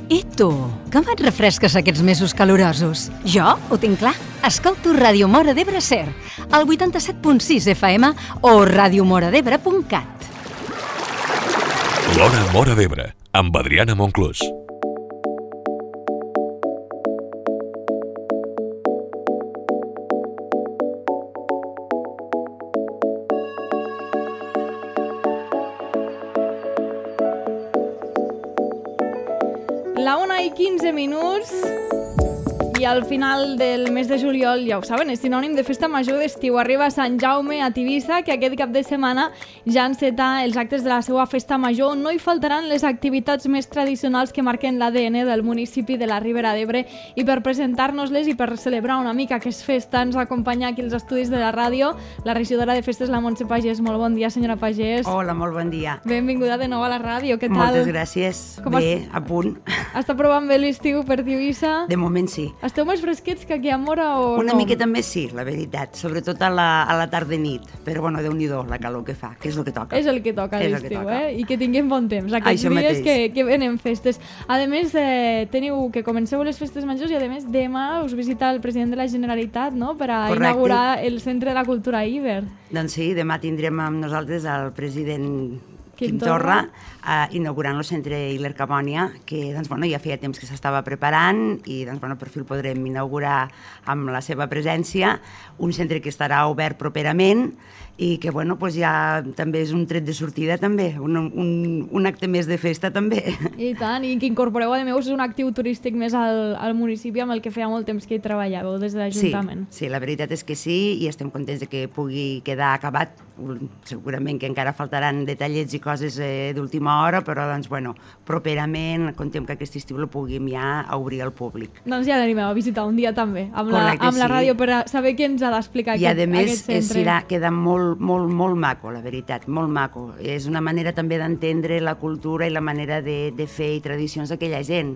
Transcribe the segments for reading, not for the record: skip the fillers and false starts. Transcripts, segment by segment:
I tu, com et refresques aquests mesos calorosos? Jo ho tinc clar. Escolto Ràdio Móra d'Ebre Ser, al 87.6 FM o radiomoradebre.cat. L'Hora Móra d'Ebre, amb Adriana Monclús. La 1:15 i al final del mes de juliol, ja ho saben, és sinònim de festa major d'estiu. Arriba Sant Jaume a Tivissa, que aquest cap de setmana ja enceta els actes de la seva festa major. No hi faltaran les activitats més tradicionals que marquen l'ADN del municipi de la Ribera d'Ebre, i per presentar-nos-les i per celebrar una mica que és festa ens acompanya aquí als estudis de la ràdio la regidora de festes, la Montse Pagès. Molt bon dia, senyora Pagès. Hola, molt bon dia. Benvinguda de nou a la ràdio, què tal? Moltes gràcies. Bé, a punt. Està provant bé l'estiu per Tivissa? De moment sí. Esteu més fresquets que aquí a Móra o Una no? miqueta més sí, la veritat, sobretot a la tarda i nit, però bueno, Déu-n'hi-do la calor que fa, que és el que toca. És el que toca a És el que l'estiu, toca. I que tinguem bon temps aquests Això dies mateix. que venen festes. A més, teniu que comenceu les festes majors i a més demà us visita el president de la Generalitat, no?, per a Correcte. inaugurar el Centre de la Cultura Iber. Doncs sí, demà tindrem amb nosaltres el president Quim Quim Torra inaugurant el centre Hiler Cabònia, que doncs, bueno, ja feia temps que s'estava preparant i doncs, bueno, per fi el podrem inaugurar amb la seva presència, un centre que estarà obert properament i que bueno, doncs ja també és un tret de sortida també, un acte més de festa també. I tant, i que incorporeu a més un actiu turístic més al municipi amb el que feia molt temps que hi treballàveu des de l'Ajuntament. Sí, la veritat és que sí, i estem contents de que pugui quedar acabat. Segurament que encara faltaran detallets i coses d'última hora, però doncs, bueno, properament contem que aquest estiu el puguem ja obrir al públic. Doncs ja l'anim a visitar un dia també, amb Correcte, la sí. ràdio, per a saber què ens ha d'explicar I a aquest més centre. queda molt maco, la veritat, molt maco. És una manera també d'entendre la cultura i la manera de fer i tradicions d'aquella gent.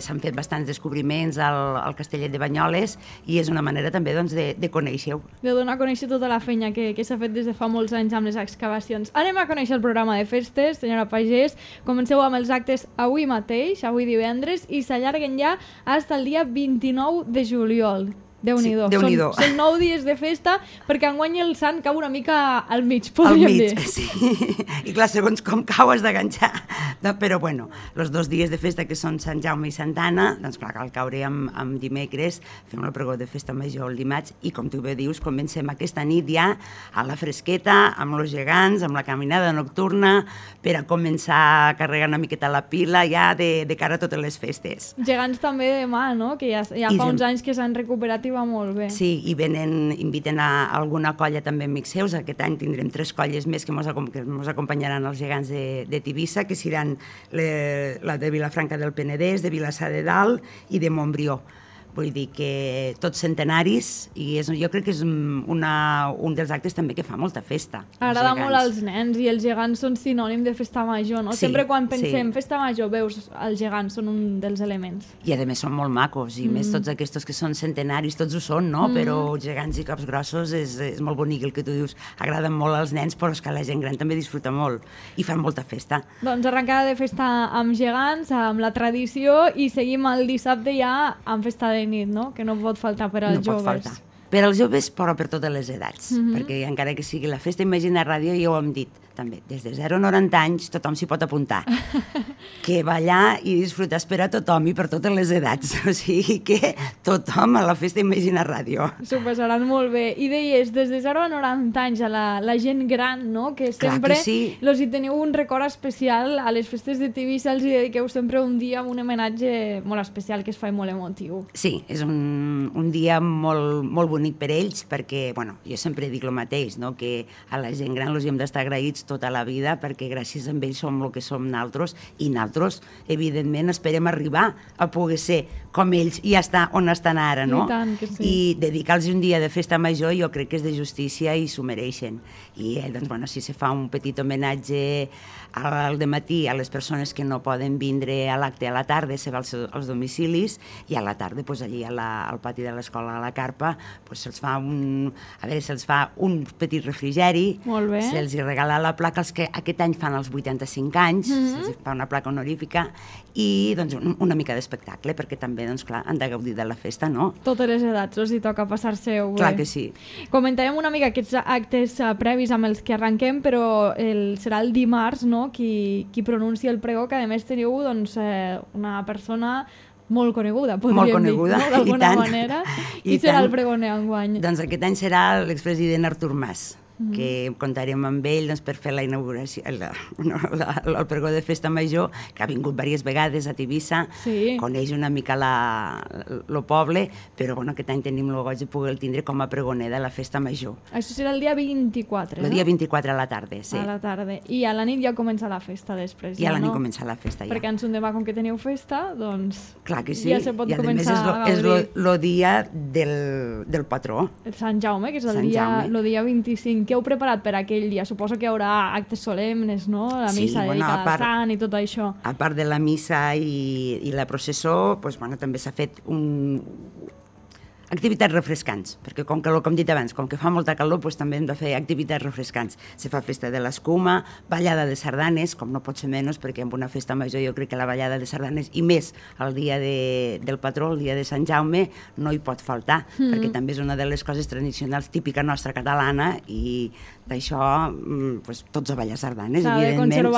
S'han fet bastants descobriments al Castellet de Banyoles i és una manera també doncs, de conèixer-ho. De donar a conèixer tota la feina que s'ha fet des de fa molts anys amb les excavacions. Anem a conèixer el programa de festes, senyora Pagès. Comenceu amb els actes avui mateix, avui divendres, i s'allarguen ja fins al dia 29 de juliol. Déu-n'hi-do. Sí, Déu-n'hi-do. Són 9 dies de festa, perquè enguany el sant cau una mica al mig, Al podríem mig, dir. sí. I clar, segons com cau has d'enganxar. No, però bueno, els 2 dies de festa que són Sant Jaume i Santa Anna, doncs clar, cal caure amb dimecres, fem el pregó de festa major el dimarts i com tu bé dius, comencem aquesta nit ja a la fresqueta, amb els gegants, amb la caminada nocturna, per a començar a carregar una miqueta la pila ja de cara a totes les festes. Gegants també demà, no?, que ja fa uns anys que s'han recuperat i va molt bé. Sí, i inviten a alguna colla també amics seus. Aquest any tindrem 3 colles més que mos acompanyaran els gegants de Tivissa, que seran la de Vilafranca del Penedès, de Vilassar de Dalt i de Montbrió. Vull dir que tots centenaris, i jo crec que és un dels actes també que fa molta festa. Agrada molt als nens, i els gegants són sinònim de festa major, no? Sí, Sempre quan pensem sí. festa major veus els gegants, són un dels elements. I a més són molt macos, i més tots aquests que són centenaris, tots ho són, no? Però gegants i cops grossos és molt bonic el que tu dius. Agraden molt als nens, però és que la gent gran també disfruta molt i fan molta festa. Doncs arrencada de festa amb gegants, amb la tradició, i seguim el dissabte ja amb festa de nit, no?, que no pot faltar per als joves. No pot faltar. Per als joves, però per totes les edats, perquè encara que sigui la festa Imagina Ràdio, ja ho hem dit, també, des de 0 a 90 anys tothom s'hi pot apuntar. Que ballar i disfrutar és per a tothom i per totes les edats, o sigui que tothom a la festa Imagina Ràdio. S'ho passaran molt bé. I deies, des de 0 a 90 anys, a la gent gran, no?, que Clar sempre que sí. hi teniu un record especial, a les festes de Tivissa els hi dediqueu sempre un dia amb un homenatge molt especial que es fa molt emotiu. Sí, és un dia molt bonic per ells, perquè, bueno, jo sempre dic el mateix, no?, que a la gent gran els hem d'estar agraïts tota la vida, perquè gràcies a ells som el que som naltros, i naltros, evidentment, esperem arribar a poder ser com ells i estar on estan ara, no? I tant que sí. I dedicar-los un dia de festa major jo crec que és de justícia i s'ho mereixen. I, doncs, bueno, si se fa un petit homenatge al dematí a les persones que no poden vindre a l'acte a la tarda, se va als domicilis, i a la tarda, doncs, allí al pati de l'escola a la Carpa, doncs, se'ls fa un petit refrigeri, Molt bé. se'ls regala la la placa els que aquest any fan els 85 anys, se'ls fa una placa honorífica, i doncs, una mica d'espectacle, perquè també, doncs, clar, han de gaudir de la festa, no? Totes les edats, els hi toca passar-se-ho bé. Clar que sí. Comentàvem una mica aquests actes previs amb els que arrenquem, però serà el dimarts, no?, qui pronuncia el pregó, que a més teniu doncs, una persona molt coneguda, podríem dir, no? D'alguna manera. I serà el pregoner enguany? Doncs aquest any serà l'expresident Artur Mas, que comptarem amb ell doncs, per fer la inauguració, el pregó de Festa Major, que ha vingut diverses vegades a Tivissa, coneix una mica el poble, però bueno, aquest any tenim el goig de poder tindre com a pregoner de la Festa Major. Això serà el dia 24, no? El dia 24 a la tarda, sí. A la tarda. I a la nit ja comença la festa després, ja, no? I a la nit comença la festa, ja. Perquè en son demà, com que teniu festa, doncs... Clar que sí. Ja se pot començar a gaudir. És el dia del patró. El Sant Jaume, que és el dia 25. Què heu preparat per aquell dia? Suposo que hi haurà actes solemnes, no? La missa dedicada al sant i tot això. A part de la missa i la processó, doncs, bueno, també s'ha fet activitats refrescants, perquè com he dit abans, com que fa molta calor, doncs també hem de fer activitats refrescants. Se fa festa de l'escuma, ballada de sardanes, com no pot ser menys, perquè en una festa major jo crec que la ballada de sardanes, i més el dia del patró, el dia de Sant Jaume, no hi pot faltar, perquè també és una de les coses tradicionals típica nostra catalana, i d'això doncs, tots a ballar sardanes, evidentment,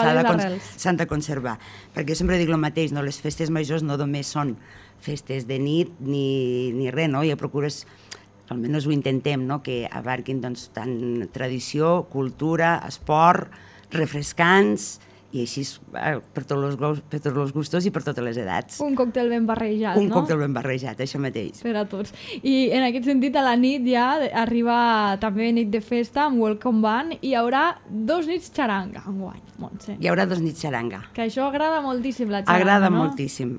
s'han de conservar. Perquè sempre dic el mateix, no? Les festes majors no només són festes de nit ni res, no? Ja procures, almenys ho intentem, no? Que abarquin doncs, tant tradició, cultura, esport, refrescants, i així per tots els gustos i per totes les edats. Un còctel ben barrejat, no? Un còctel ben barrejat, això mateix. Per a tots. I en aquest sentit, a la nit ja arriba també nit de festa amb Welcome Band, i hi haurà 2 nits xaranga enguany, Montse. Hi haurà 2 nits xaranga. Que això agrada moltíssim, la xaranga, agrada no? Moltíssim.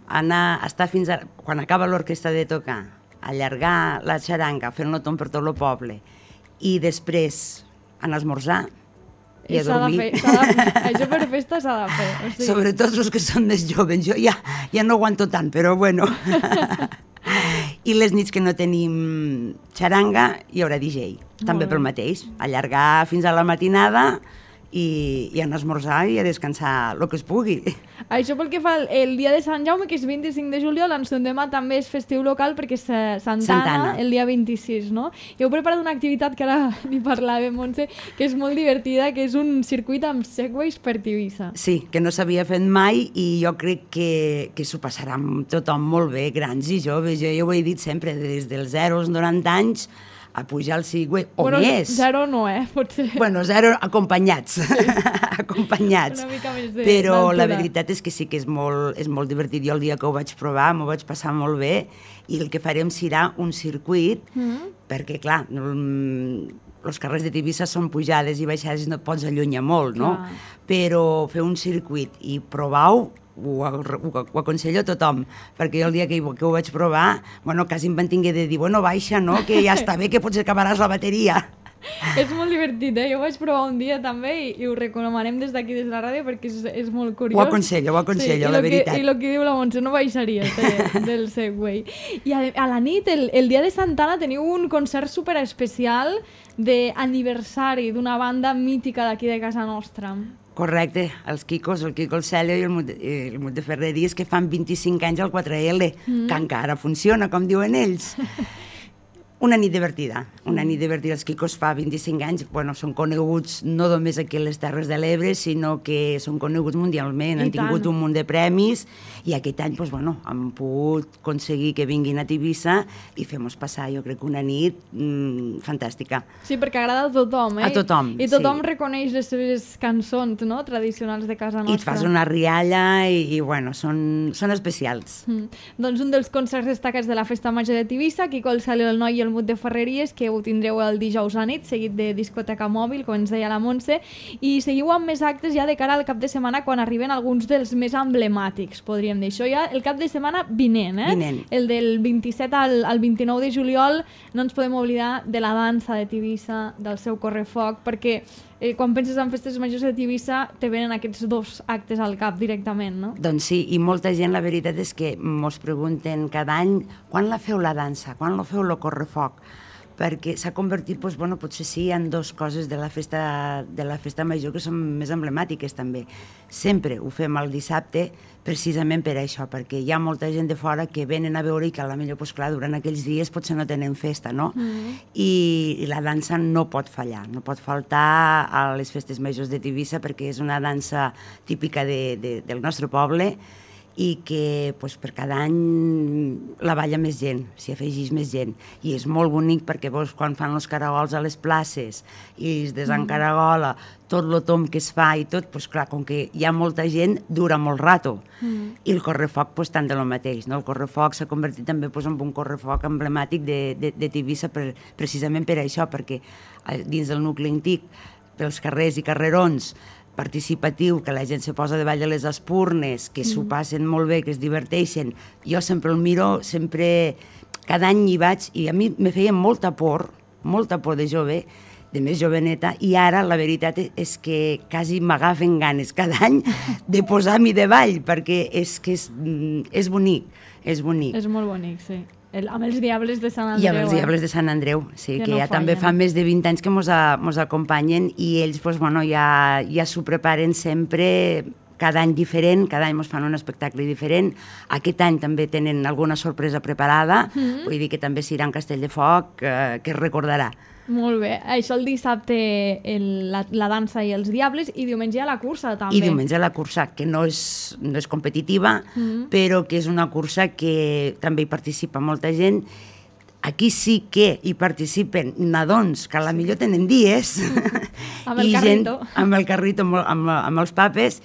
Estar fins a... Quan acaba l'orquestra de tocar, allargar la xaranga, fer-lo tot per tot el poble, i després anar a esmorzar, i a dormir. Això per festa s'ha de fer. O sigui... Sobretot els que són més joves. Jo ja no aguanto tant, però bueno. I les nits que no tenim xaranga hi haurà DJ. També pel mateix. Allargar fins a la matinada i anar a esmorzar i a descansar el que es pugui. Això pel que fa el dia de Sant Jaume, que és 25 de juliol, en son demà també és festiu local perquè és Santana, el dia 26, no? I heu preparat una activitat que ara n'hi parlàvem, Montse, que és molt divertida, que és un circuit amb segways per Tivissa. Sí, que no s'havia fet mai, i jo crec que s'ho passarà amb tothom molt bé, grans i joves. Jo ho he dit sempre, des dels 0 als 90 anys, a pujar al Segway, o més. 0 no, potser. Bueno, 0 acompanyats, acompanyats. Una mica més però la veritat és que sí que és molt divertit. Jo el dia que ho vaig provar m'ho vaig passar molt bé, i el que farem serà un circuit, perquè clar, els carrers de Tivissa són pujades i baixades, no et pots allunyar molt, no? Però fer un circuit i provar-ho, ho aconsello a tothom, perquè jo el dia que ho vaig provar, bueno, quasi em van tinguer de dir, bueno, baixa, no?, que ja està bé, que potser acabaràs la bateria. És molt divertit, Jo ho vaig provar un dia també i ho recomanem des d'aquí, des de la ràdio, perquè és molt curiós. Ho aconsello, la veritat. I el que diu la Montse, no baixaria del Segway. I a la nit, el dia de Santana, teniu un concert superespecial d'aniversari d'una banda mítica d'aquí de casa nostra. Correcte, els Quicos, el Quico el Celio i el Mut de Ferreries, que fan 25 anys al 4L, que encara funciona, com diuen ells. Una nit divertida, Els Quicos fa 25 anys, bueno, són coneguts no només aquí a les Terres de l'Ebre, sinó que són coneguts mundialment, han tingut un munt de premis, i aquest any, doncs, bueno, han pogut aconseguir que vinguin a Tivissa i fem-nos passar, jo crec, una nit fantàstica. Sí, perquè agrada a tothom, A tothom, I tothom reconeix les seves cançons, no?, tradicionals de casa nostra. I et fas una rialla i bueno, són especials. Doncs un dels concerts destacats de la Festa Major de Tivissa, Quico el Celio, el Noi i el Mut de Ferreries, que ho tindreu el dijous a nit, seguit de discoteca mòbil, com ens deia la Montse, i seguiu amb més actes ja de cara al cap de setmana, quan arriben alguns dels més emblemàtics, podríem dir. Això ja el cap de setmana vinent, El del 27 al 29 de juliol. No ens podem oblidar de la dansa de Tivissa, del seu correfoc, perquè quan penses en festes majors de Tivissa te venen aquests 2 actes al cap directament, no? Doncs sí, i molta gent, la veritat és que mos pregunten cada any quan la feu la dansa, quan la feu el correfoc. perquè s'ha convertit, doncs, bueno, potser sí, en dues coses de la festa major que són més emblemàtiques també. Sempre ho fem el dissabte precisament per això, perquè hi ha molta gent de fora que venen a veure i que potser, doncs, clar, durant aquells dies potser no tenen festa, no? I la dansa no pot fallar, no pot faltar a les festes majors de Tivissa perquè és una dansa típica del nostre poble i que doncs, per cada any la balla més gent, s'hi afegeix més gent. I és molt bonic perquè quan fan els caragols a les places i es desencaragola, tot el tomb que es fa i tot, doncs clar, com que hi ha molta gent, dura molt rato. I el correfoc, doncs, tant de lo mateix. No? El correfoc s'ha convertit també en un correfoc emblemàtic de Tivissa precisament per això, perquè dins del nucli antic, pels carrers i carrerons, participatiu, que la gent se posa davall de les espurnes, que s'ho passen molt bé, que es diverteixen. Jo sempre el miro, cada any hi vaig, i a mi me feia molta por de jove, de més joveneta, i ara la veritat és que quasi m'agafen ganes cada any de posar-m'hi davall, perquè és bonic, és bonic. És molt bonic, sí. Amb els Diables de Sant Andreu. I amb els Diables de Sant Andreu, sí, que ja també fa més de 20 anys que mos acompanyen i ells ja s'ho preparen sempre, cada any diferent, cada any mos fan un espectacle diferent. Aquest any també tenen alguna sorpresa preparada, vull dir que també serà un castell de foc que es recordarà. Molt bé. Això el dissabte la dansa i els Diables i diumenge a la cursa també. I diumenge a la cursa, que no és competitiva, però que és una cursa que també hi participa molta gent. Aquí sí que hi participen nadons, que a la millor tenen dies. Amb el carrito. Amb el carrito, amb els papes,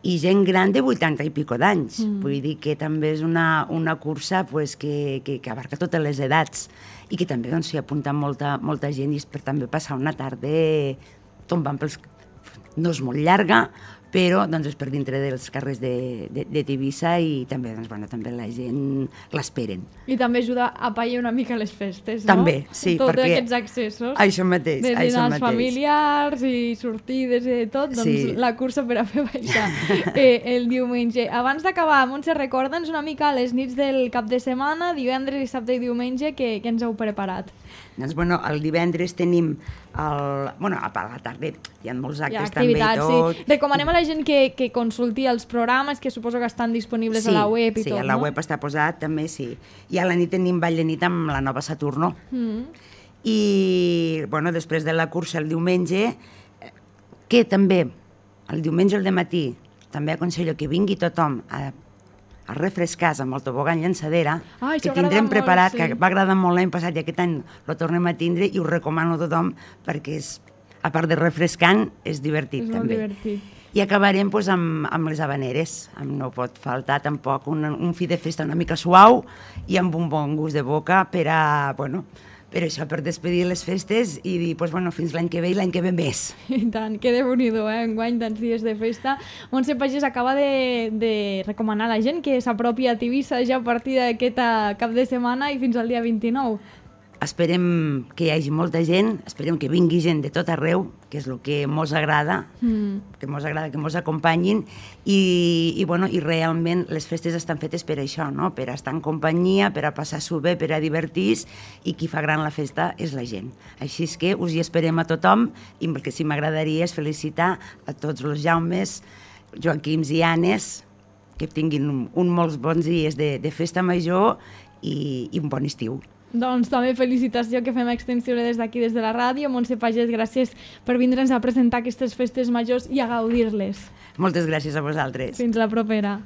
i gent gran de 80 i pico d'anys. Vull dir que també és una cursa que abarca totes les edats i que també s'hi apunta molta gent i és per també passar una tarda tombant pels... No és molt llarga, però és per dintre dels carrers de Tivissa i també la gent l'esperen. I també ajuda a apaiar una mica les festes, no? També, sí, perquè... Tots aquests accessos. Això mateix, de dinars familiars i sortides i tot, doncs la cursa per a fer baixar el diumenge. Abans d'acabar, Montse, recorda'ns una mica les nits del cap de setmana, divendres, dissabte i diumenge, que ens heu preparat. Doncs, el divendres tenim a la tarda hi ha molts actes també i tot. Sí. Recomanem a la gent que consulti els programes, que suposo que estan disponibles a la web i tot, no? Sí, a la web està posat, també, sí. I a la nit tenim ball de nit amb la nova Saturno. I, després de la cursa el diumenge, que també, el diumenge al dematí, també aconsello que vingui tothom a refrescar-se amb el tobogan llançadera, que tindrem preparat, que va agradar molt l'any passat i aquest any el tornem a tindre i ho recomano a tothom perquè a part de refrescant, és divertit també. És molt divertit. I acabarem amb les habaneres. No pot faltar tampoc un fi de festa una mica suau i amb un bon gust de boca per per despedir les festes i dir, fins l'any que ve i l'any que ve més. I tant, que déu-n'hi-do, enguany tants dies de festa. Montse Pagès acaba de recomanar a la gent que s'apropi a Tivissa ja a partir d'aquest cap de setmana i fins al dia 29. Esperem que hi hagi molta gent, esperem que vingui gent de tot arreu, que és el que mos agrada, que mos acompanyin i realment les festes estan fetes per això, no? Per estar en companyia, per a passar-s'ho bé, per a divertir-se i qui fa gran la festa és la gent. Així és que us hi esperem a tothom i el que sí m'agradaria és felicitar a tots els Jaumes, Joaquims i Anes, que tinguin uns molts bons dies de festa major i un bon estiu. Doncs també felicitació que fem extensió des d'aquí, des de la ràdio. Montse Pagès, gràcies per vindre'ns a presentar aquestes festes majors i a gaudir-les. Moltes gràcies a vosaltres. Fins la propera.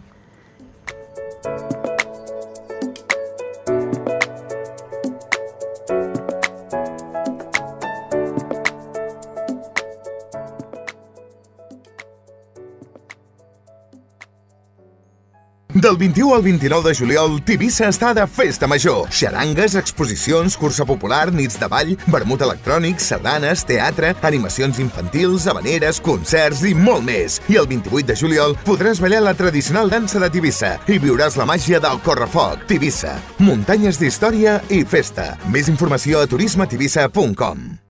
Del 21 al 29 de juliol, Tivissa està de festa major. Xarangues, exposicions, cursa popular, nits de ball, vermut electrònic, sardanes, teatre, animacions infantils, habaneres, concerts i molt més. I el 28 de juliol podràs ballar la tradicional dansa de Tivissa i viuràs la màgia del correfoc. Tivissa, muntanyes d'història i festa. Més informació a turismetivissa.com.